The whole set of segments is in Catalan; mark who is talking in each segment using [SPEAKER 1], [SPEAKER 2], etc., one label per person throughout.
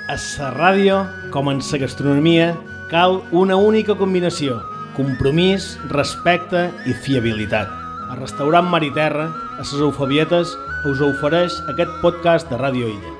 [SPEAKER 1] A la ràdio, com en la gastronomia, cal una única combinació: compromís, respecte i fiabilitat. A Restaurant Mar i Terra, a les Eufabietes, us ofereix aquest podcast de Ràdio Illa.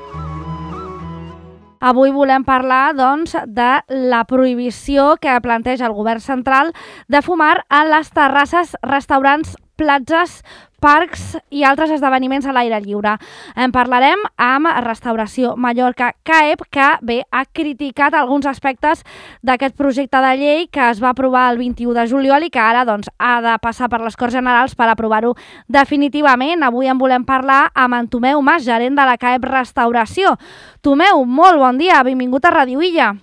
[SPEAKER 2] Avui volem parlar, doncs, de la prohibició que planteja el govern central de fumar a les terrasses, restaurants, platges, parcs i altres esdeveniments a l'aire lliure. En parlarem amb Restauració Mallorca CAEP, que ha criticat alguns aspectes d'aquest projecte de llei que es va aprovar el 21 de juliol i que ara ha de passar per les Corts Generals per aprovar-ho definitivament. Avui en volem parlar amb en Tomeu Mas, gerent de la CAEP Restauració. Tomeu, molt bon dia, benvingut a Ràdio Illa.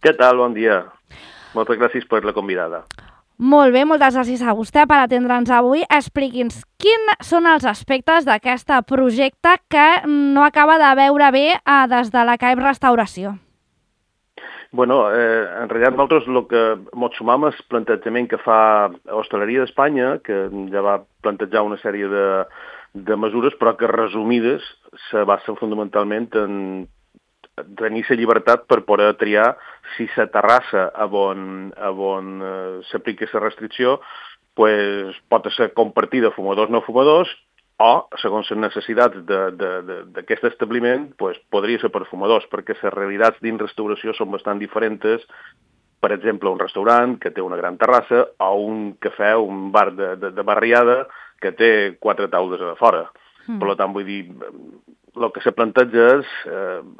[SPEAKER 3] Què tal? Bon dia. Moltes gràcies per la convidada.
[SPEAKER 2] Molt bé, moltes gràcies a vostè per atendre'ns avui. Expliqui'ns quins són els aspectes d'aquest projecte que no acaba de veure bé des de la CAEP Restauració.
[SPEAKER 3] Bueno, en realitat nosaltres el que ens sumam és el plantejament que fa Hostaleria d'Espanya, que ja va plantejar una sèrie de mesures, però que resumides se basen fonamentalment en tenir la llibertat per poder triar si la terrassa on s'aplica la restricció pot ser compartida fumadors no fumadors o, segons les necessitats d'aquest establiment, podria ser per fumadors, perquè les realitats dins restauració són bastant diferents. Per exemple, un restaurant que té una gran terrassa o un cafè, un bar de barriada que té 4 taules a fora. Per tant, vull dir, el que se planteja és,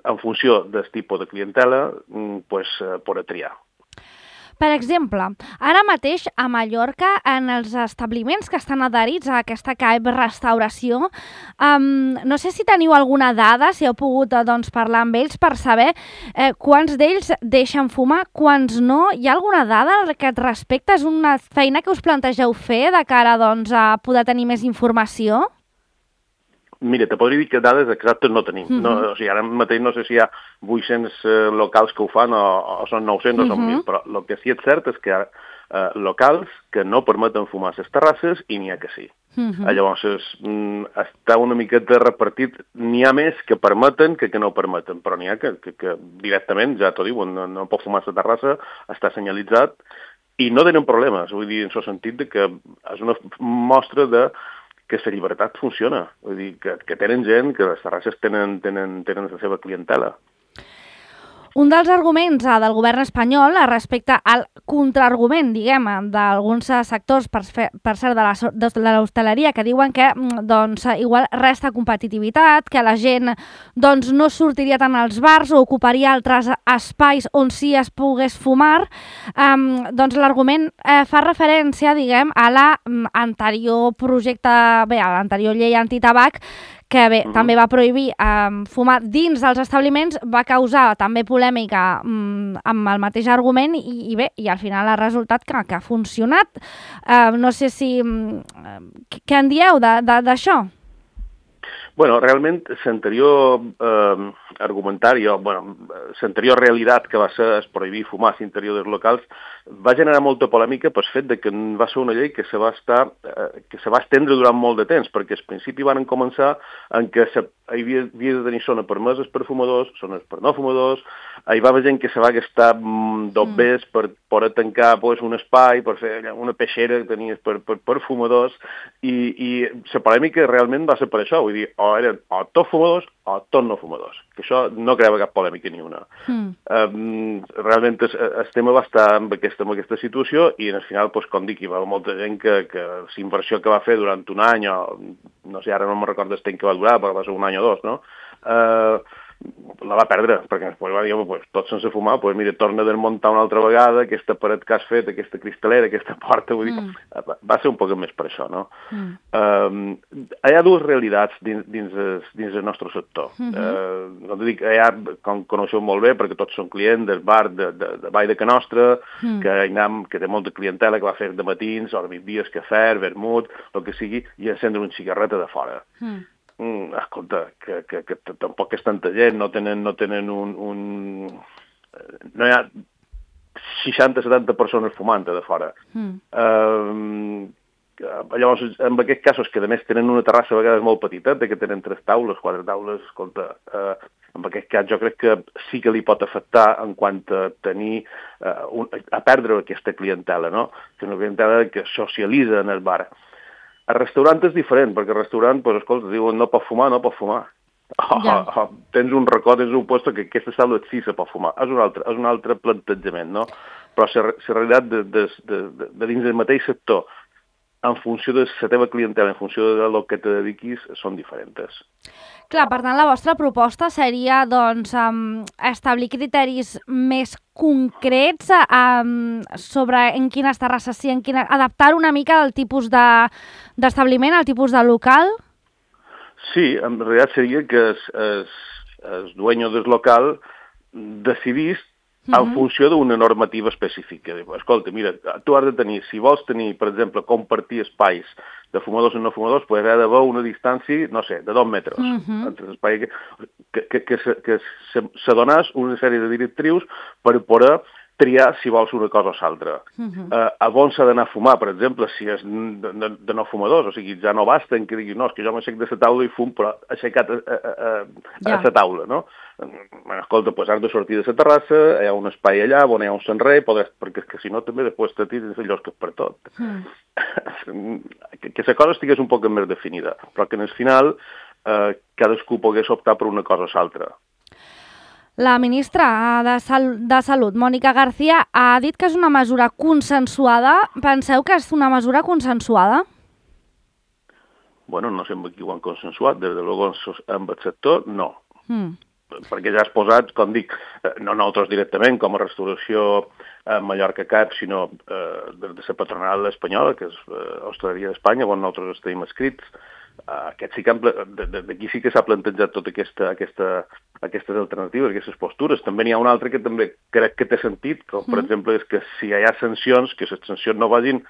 [SPEAKER 3] en funció del tipus de clientela, poder triar.
[SPEAKER 2] Per exemple, ara mateix a Mallorca, en els establiments que estan adherits a aquesta CAEP Restauració, no sé si teniu alguna dada, si heu pogut parlar amb ells per saber quants d'ells deixen fumar, quants no. Hi ha alguna dada a aquest respecte? És una feina que us plantegeu fer de cara a poder tenir més informació?
[SPEAKER 3] Mira, te podria dir que dades exactes no tenim. O sigui, ara mateix no sé si hi ha 800 locals que ho fan o són 900 o són 1.000, però el que sí és cert és que hi ha locals que no permeten fumar a les terrasses i n'hi ha que sí. Llavors, està una miqueta repartit. N'hi ha més que permeten que no permeten, però n'hi ha que directament, ja t'ho diuen, no pot fumar a la terrassa, està senyalitzat i no tenen problemes. Vull dir, en el sentit que és una mostra que la llibertat funciona, vull dir, que tenen gent, que les terrasses tenen la seva clientela.
[SPEAKER 2] Un dels arguments del govern espanyol respecte al contraargument, diguem, d'alguns sectors, per cert, de l'hostaleria, que diuen que igual resta competitivitat, que la gent no sortiria tant als bars o ocuparia altres espais on sí es pogués fumar, l'argument fa referència, diguem, a l'anterior projecte, a l'anterior llei antitabac, que també va prohibir fumar dins dels establiments, va causar també polèmica amb el mateix argument i al final ha resultat que ha funcionat. No sé si... Què en dieu d'això?
[SPEAKER 3] Bueno, realment, l'anterior argumentari, l'anterior realitat que va ser prohibir fumar a l'interior dels locals va generar molta polèmica pel fet que va ser una llei que se va estendre durant molt de temps, perquè al principi van començar en què havia de tenir zones permeses per fumadors, zones per no fumadors, hi va haver gent que se va gastar dobbers per poder tancar un espai, per fer una peixera que tenies per fumadors, i la polèmica realment va ser per això, vull dir, o eren tots fumadors o tots no fumadors, que això no creava cap polèmica ni una. Realment el tema va estar en aquesta situació i al final, com dic, hi va haver molta gent que la inversió que va fer durant un any, o no sé, ara no me'n recordo el temps que va durar, però va ser un any o dos, no? La va perdre, perquè després va dir, tot sense fumar, mira, torna a desmuntar una altra vegada, aquesta paret que has fet, aquesta cristalera, aquesta porta, vull dir, va ser un poc més per això, no? Hi ha dues realitats dins el nostre sector. No t'ho dic, com coneixeu molt bé, perquè tots són clients del bar de Vall de Canostra, que té molta clientela, que va fer de matins, o de migdies, cafè, vermut, el que sigui, i encendre una cigarreta de fora. Escolta, que tampoc és tanta gent, no tenen un... No hi ha 60-70 persones fumant de fora. Llavors, en aquests casos, que a més tenen una terrassa a vegades molt petiteta, que tenen 3 taules, 4 taules, escolta, en aquest cas jo crec que sí que li pot afectar en quant a tenir, a perdre aquesta clientela, no? Que és una clientela que socialitza en el bar. El restaurant és diferent, perquè el restaurant, doncs, escolta, diuen no pot fumar, no pot fumar. Tens un racó, tens un puesto que aquesta taula sí se pot fumar. És un altre plantejament, no? Però la realitat de dins del mateix sector, en funció de la teva clientela, en funció de lo que te dediquis, són diferents.
[SPEAKER 2] Clar, per tant, la vostra proposta seria doncs, establir criteris més concrets sobre en quines terrasses sí, adaptar una mica del tipus d'establiment, al tipus de local?
[SPEAKER 3] Sí, en realitat seria que el dueño del local decidís en funció d'una normativa específica. Escolta, mira, tu has de tenir, si vols tenir, per exemple, compartir espais de fumadors i no fumadors, pues ha d'haver una distància, no sé, de 2 metres entre l'espai, que se donàs una sèrie de directrius per poder triar si vols una cosa o l'altra. A on s'ha d'anar a fumar, per exemple, si és de no fumadors, o sigui, ja no basta en que diguis, no, és que jo m'aixec de la taula i fum, però aixecat a la taula, no? Escolta, doncs has de sortir de la terrassa, hi ha un espai allà on hi ha un senrer, perquè és que si no també després te tires allò que és per tot. Que la cosa estigués un poc més definida, però que en el final cadascú pogués optar per una cosa o l'altra.
[SPEAKER 2] La ministra de Salut, Mònica García, ha dit que és una mesura consensuada. Penseu que és una mesura consensuada?
[SPEAKER 3] Bueno, no sé amb qui ho han consensuat. Des de luego amb el sector, no. Perquè ja has posat, com dic, no nosaltres directament, com a restauració Mallorca CAP, sinó de la patronal espanyola, que és Hostaleria d'Espanya, on nosaltres estem escrits. D'aquí sí que s'ha plantejat totes aquestes alternatives, aquestes postures. També n'hi ha una altra que també crec que té sentit, com per exemple és que si hi ha sancions, que les sancions no vagin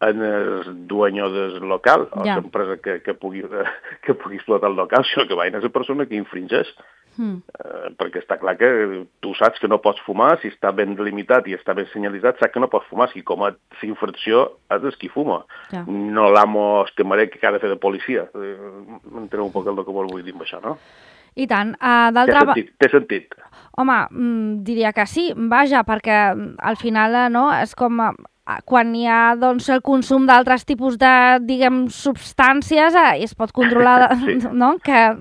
[SPEAKER 3] en el dueño del local, o l'empresa que pugui explotar el local, sinó que vagin a la persona que infringeix. Perquè està clar que tu saps que no pots fumar, si està ben delimitat i està ben senyalitzat, saps que no pots fumar. Si comet l'infracció, és qui fuma. No l'amo camarer que ha de fer de policia. M'enteneu un poc el que vol dir amb això, no?
[SPEAKER 2] I tant.
[SPEAKER 3] Té sentit.
[SPEAKER 2] Home, diria que sí, vaja, perquè al final no, és com quan hi ha doncs, el consum d'altres tipus de, diguem, substàncies es pot controlar, no? Que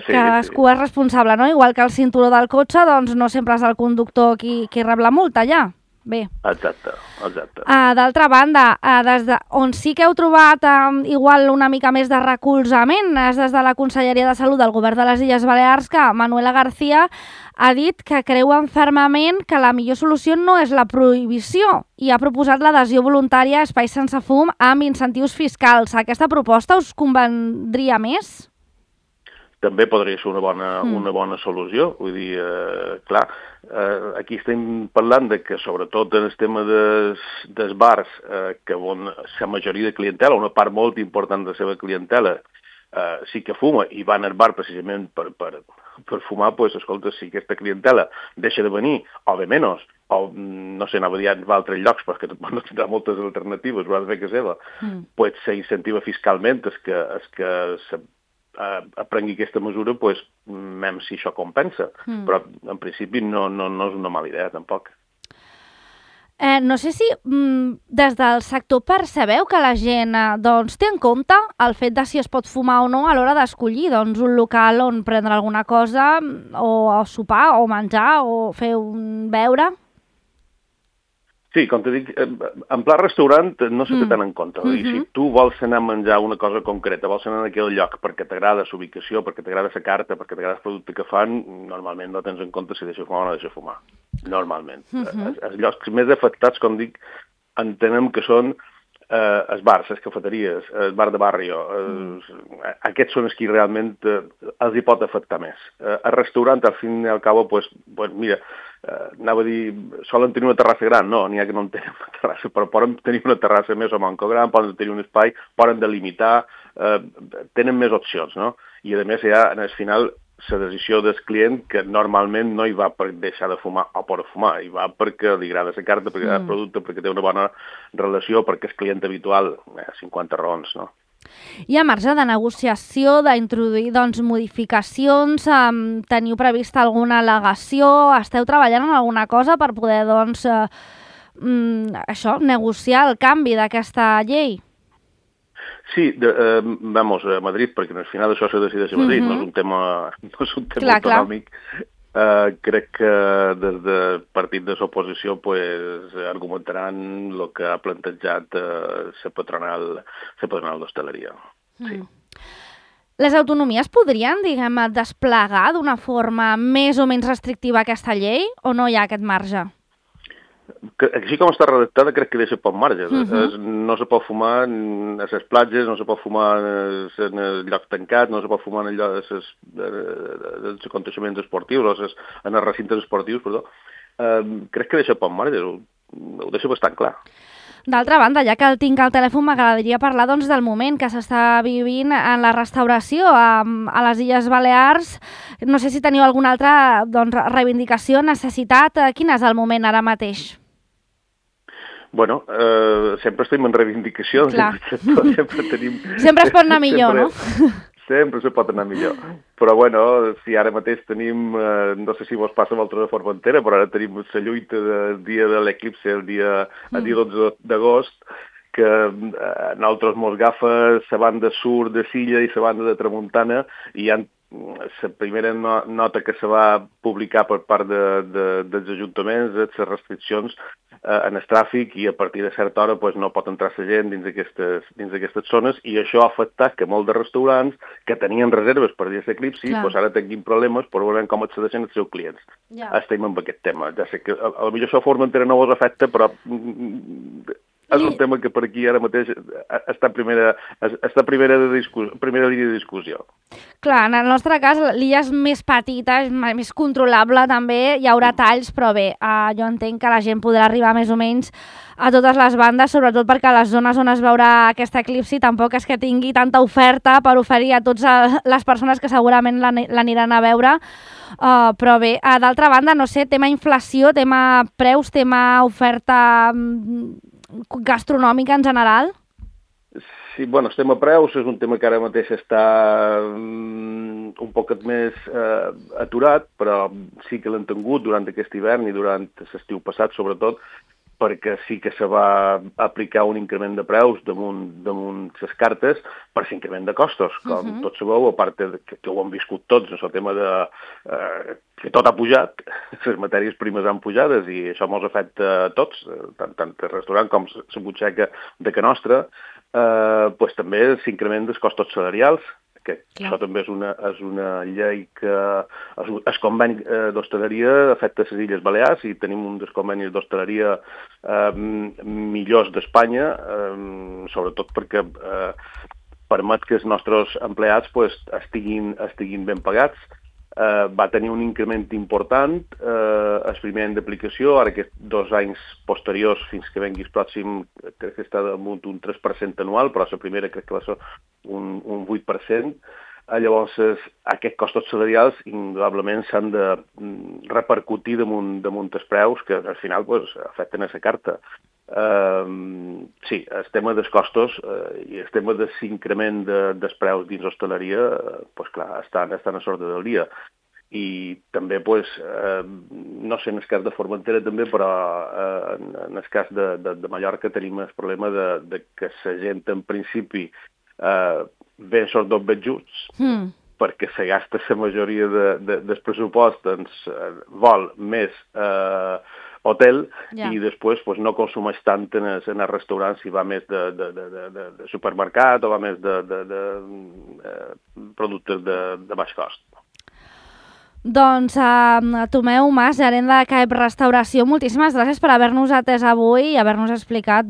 [SPEAKER 2] cadascú és responsable, no? Igual que el cinturó del cotxe, doncs no sempre és el conductor qui rep la multa, ja. Bé.
[SPEAKER 3] Exacte.
[SPEAKER 2] D'altra banda, des on sí que heu trobat igual una mica més de recolzament és des de la Conselleria de Salut del Govern de les Illes Balears, que Manuela García ha dit que creuen fermament que la millor solució no és la prohibició i ha proposat l'adhesió voluntària a espais sense fum amb incentius fiscals. Aquesta proposta us convendria més?
[SPEAKER 3] També podria ser una bona solució. Vull dir, clar, aquí estem parlant de que, sobretot en el tema dels bars, que on la majoria de clientela, una part molt important de la seva clientela, sí que fuma i van al bar precisament per fumar, doncs, escolta, si aquesta clientela deixa de venir, o de menys, o, no sé, anava a dir a altres llocs, perquè no tindrà moltes alternatives, ho ha de fer que seva, doncs s'incentiva fiscalment és que aprengui aquesta mesura, doncs, mem si això compensa. Però, en principi, no és una mala idea, tampoc.
[SPEAKER 2] No sé si des del sector percebeu que la gent doncs, té en compte el fet de si es pot fumar o no a l'hora d'escollir un local on prendre alguna cosa, o sopar, o menjar, o fer un beure.
[SPEAKER 3] Sí, com te dic, en pla restaurant no se té tant en compte. I si tu vols anar a menjar una cosa concreta, vols anar a aquell lloc perquè t'agrada la ubicació, perquè t'agrada la carta, perquè t'agrada el producte que fan, normalment no tens en compte si deixa fumar o no deixa fumar. Normalment. Els llocs més afectats, com dic, entenem que són els bars, les cafeteries, el bar de barri. Aquests són els que realment els hi pot afectar més. El restaurant, al fin i al cabo, mira, anava a dir, solen tenir una terrassa gran, no, n'hi ha que no en tenen una terrassa, però poden tenir una terrassa més o manco gran, poden tenir un espai, poden delimitar, tenen més opcions, no? I a més, ja, en el final, la decisió del client, que normalment no hi va per deixar de fumar o per fumar, hi va perquè li agrada la carta, perquè agrada el producte, perquè té una bona relació, perquè és client habitual, 50 raons, no?
[SPEAKER 2] Hi ha marge de negociació, d'introduir modificacions, teniu prevista alguna al·legació, esteu treballant en alguna cosa per poder negociar el canvi d'aquesta llei?
[SPEAKER 3] Sí, vamos, a Madrid, perquè al final això se decideix a Madrid, no és un tema autonòmic. Crec que des del partit de l'oposició argumentaran el que ha plantejat la patronal d'hostaleria. Sí.
[SPEAKER 2] Les autonomies podrien, desplegar d'una forma més o menys restrictiva aquesta llei o no hi ha aquest marge?
[SPEAKER 3] Així com està redactada, crec que deixa poc marge. No se pot fumar a les platges, no se pot fumar en els llocs tancats, no se pot fumar en els aconteixements esportius, en els recintes esportius, perdó. Crec que deixa poc marge, ho deixa bastant clar.
[SPEAKER 2] D'altra banda, ja que el tinc al telèfon, m'agradaria parlar del moment que s'està vivint en la restauració a les Illes Balears. No sé si teniu alguna altra reivindicació, necessitat. Quin és el moment ara mateix?
[SPEAKER 3] Bueno, sempre estem en reivindicació.
[SPEAKER 2] Sempre es pot anar millor, no?
[SPEAKER 3] Sempre se pot anar millor. Però, bueno, si ara mateix tenim, no sé si vos passa amb altra de Formentera, però ara tenim la lluita del dia de l'eclipse, el dia 12 d'agost, que a nosaltres mos agafa la banda sud de Silla i la banda de Tramuntana, i hi ha la primera nota que se va publicar per part dels ajuntaments, les restriccions en el tràfic, i a partir de certa hora no pot entrar la gent dins d'aquestes zones, i això ha afectat que molts de restaurants que tenien reserves per dir l'eclipsi, ara tinguin problemes per veure com accedeixen els seus clients. Estem amb aquest tema. Ja sé que potser això a Formentera no vos afecta, però és un tema que per aquí ara mateix està primera línia de discussió.
[SPEAKER 2] Clar, en el nostre cas l'illa és més petita, és més controlable també, hi haurà talls, però bé, jo entenc que la gent podrà arribar més o menys a totes les bandes, sobretot perquè a les zones on es veurà aquest eclipsi tampoc és que tingui tanta oferta per oferir a totes les persones que segurament l'aniran a veure, però bé, d'altra banda, no sé, tema inflació, tema preus, tema oferta gastronòmica en general?
[SPEAKER 3] Sí, bueno, el tema preus és un tema que ara mateix està un poc més aturat, però sí que l'hem tingut durant aquest hivern i durant l'estiu passat, sobretot, perquè sí que se va aplicar un increment de preus damunt les cartes per l'increment de costos, com tots sabeu, a part que ho hem viscut tots, el tema que tot ha pujat, les matèries primes han pujades i això ens afecta a tots, tant el restaurant com la butxaca de Can Nostra, també l'increment dels costos salarials, que això també és una llei que el conveni d'hostaleria afecta les Illes Balears i tenim un dels convenis d'hostaleria millors d'Espanya, sobretot perquè permet que els nostres empleats estiguin ben pagats. Va tenir un increment important el primer any d'aplicació, ara aquests 2 anys posteriors fins que vengui el pròxim, crec que està damunt un 3% anual, però la primera crec que va ser un 8%. Llavors, aquests costos salarials indudablement s'han de repercutir damunt els preus que al final afecten a la carta. Sí, el tema dels costos i el tema de l'increment dels preus dins l'hostaleria, clar, estan a l'ordre del dia. I també, no sé, en el cas de Formentera també, però en el cas de Mallorca tenim el problema de que la gent en principi ve sobretot ben justs, perquè se gasta la majoria del pressupost en vol més hotel i després no consumeix tant en els restaurants si va més de supermercat o va més de productes de baix cost.
[SPEAKER 2] Doncs Tomeu Mas, gerent de CAEP Restauració, moltíssimes gràcies per haver-nos atès avui i haver-nos explicat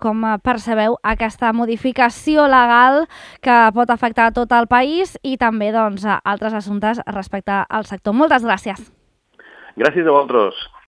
[SPEAKER 2] com percebeu aquesta modificació legal que pot afectar tot el país i també altres assumptes respecte al sector. Moltes gràcies.
[SPEAKER 3] Gràcies a vosaltres.